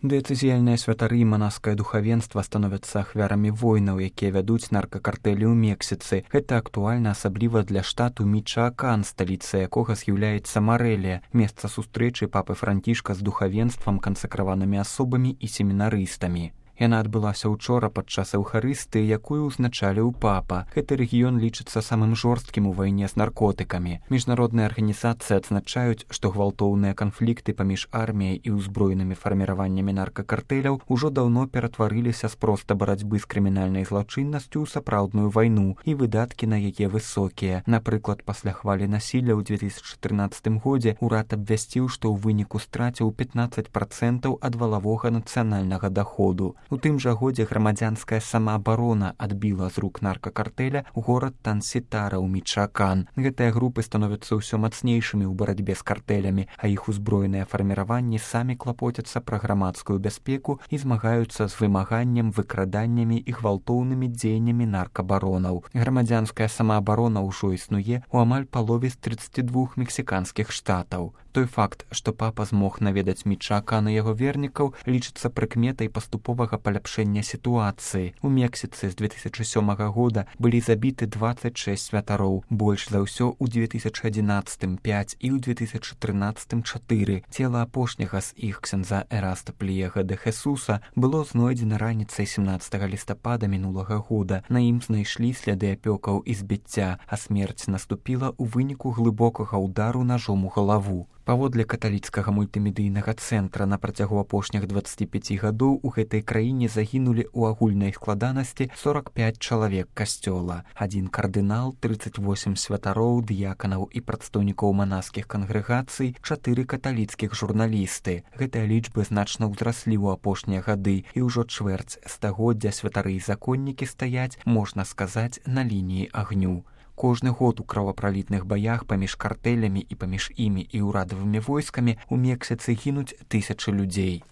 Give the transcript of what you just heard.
Дыяцэзіяльныя святары і манаскае духавенства становяцца ахвярамі войнаў, якія вядуць наркакартэлі ў Мексіцы. Гэта актуальна асабліва для штату Мічаакан, сталіца якога з'яўляецца Марэлія, месца сустрэчы папы Францішка з духавенствам, кансакраванымі асобамі і семінарыстамі. Яна адбылася ўчора падчас эўхарыстыі, якую ўзначаліў папа. Гэты рэгіён лічыцца самым жорсткім у вайне з наркотыкамі. Міжнародныя арганізацыі адзначаюць, што гвалтоўныя канфлікты паміж арміяй і ўзброенымі фарміраваннямі наркакартэляў ужо даўно ператварыліся з проста барацьбы з крымінальнай злачыннасцю ў сапраўдную вайну, і выдаткі на яе высокія. Напрыклад, пасля хвалі насілля ў 2014 годзе ўрад абвясціў, што ў выніку страціў 15% ад валавога нацыянальнага даходу. У тым жа годзе грамадзянская самаабарона адбіла з рук наркакартэля горад Тансітара ў Мічаакан. Гэтыя групы становяцца ўсё мацнейшымі ў барацьбе з картэлямі, а іх узброеныя фарміраванні самі клапоцяцца пра грамадскую бяспеку і змагаюцца з вымаганнем, выкраданнямі і гвалтоўнымі дзеяннямі наркабаронаў. Грамадзянская самаабарона ўжо існуе ў амаль палове з 32 мексіканскіх штатаў. Той факт, што папа змог наведаць Мічаакан і яго вернікаў, лічыцца прыкметай паступовага паляпшэння сітуацыі. У Мексіцы з 2007 года былі забіты 26 святароў, больш за ўсё ў 2011 5 і ў 2013 4. Цела апошняга з іх, ксяндза Эраста Пліега де Хесуса, было знойдзена раніцай 17 лістапада мінулага года. На ім знайшлі сляды апёкаў і збіцця, а смерць наступіла ў выніку глыбокага ўдару нажом у галаву. Паводле каталіцкага мультымедыйнага цэнтра, на працягу апошніх 25 гадоў у гэтай краіне загінулі ў агульнай складанасці 45 чалавек касцёла, 1 кардынал, 38 святароў, дыяканаў і прадстаўнікоў манаскіх кангрэгацый, 4 каталіцкіх журналісты. Гэтыя лічбы значна ўзраслі ў апошнія гады, і ўжо чвэрць стагоддзя святары і законнікі стаяць, можна сказаць, на лініі агню. Кожны год у кровапралітных баях паміж картэлямі і паміж імі і ўрадавымі войскамі ў Мексіцы гінуць тысячы людзей.